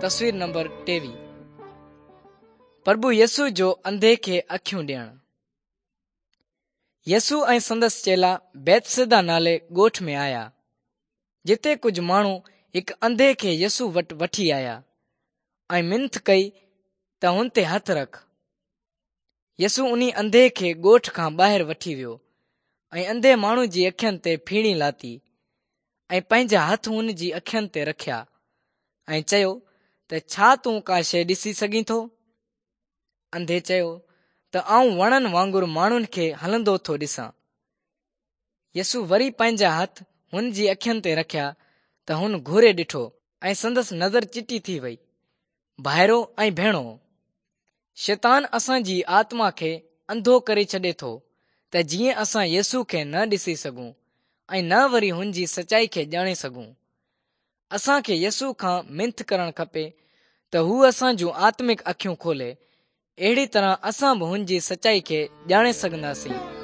تصوير نمبر 23 پرڀو يسوع جو انڌي کي اکيون ڏيڻ. يسوع ۽ سندس چيلا بيتسيدا نالي ڳوٺ ۾ آيا، جتي ڪجهه ماڻهو هڪ انڌي کي يسوع وٽ وٺي آيا ۽ منٿ ڪئي ته هن تي هٿ رک. يسوع انهي انڌي کي ڳوٺ کان ٻاهر وٺي ويو ۽ انڌي ماڻهو جي اکين تي ڦيڻي لاتي ۽ پنهنجا هٿ هن جي اکين تي رکيا ۽ چيو ته ڇا تون ڪا شيء ڏسي سگهين ٿو؟ انڌي چيو ته آئون وڻن وانگر ماڻهن کي هلندو ٿو ڏسان. يسوع وري پنهنجا هٿ هن جي اکين تي رکيا ته هن گهوري ڏٺو ۽ سندس نظر چٽي ٿي وئي. ڀائرو ۽ ڀيڻو! شيطان اسان جي آتما کي انڌو ڪري ڇڏي ٿو ته جيئن اسان يسوع کي نه ڏسي سگهون ۽ نه وري هن جي سچائي کي ڄاڻي سگهون. اسان کي يسوع کان منٿ ڪرڻ کپي ته هو اسان جون آتمڪ اکيون کولي، اهڙي طرح اسان به هن جي سچائي کي ڄاڻي سگهنداسين.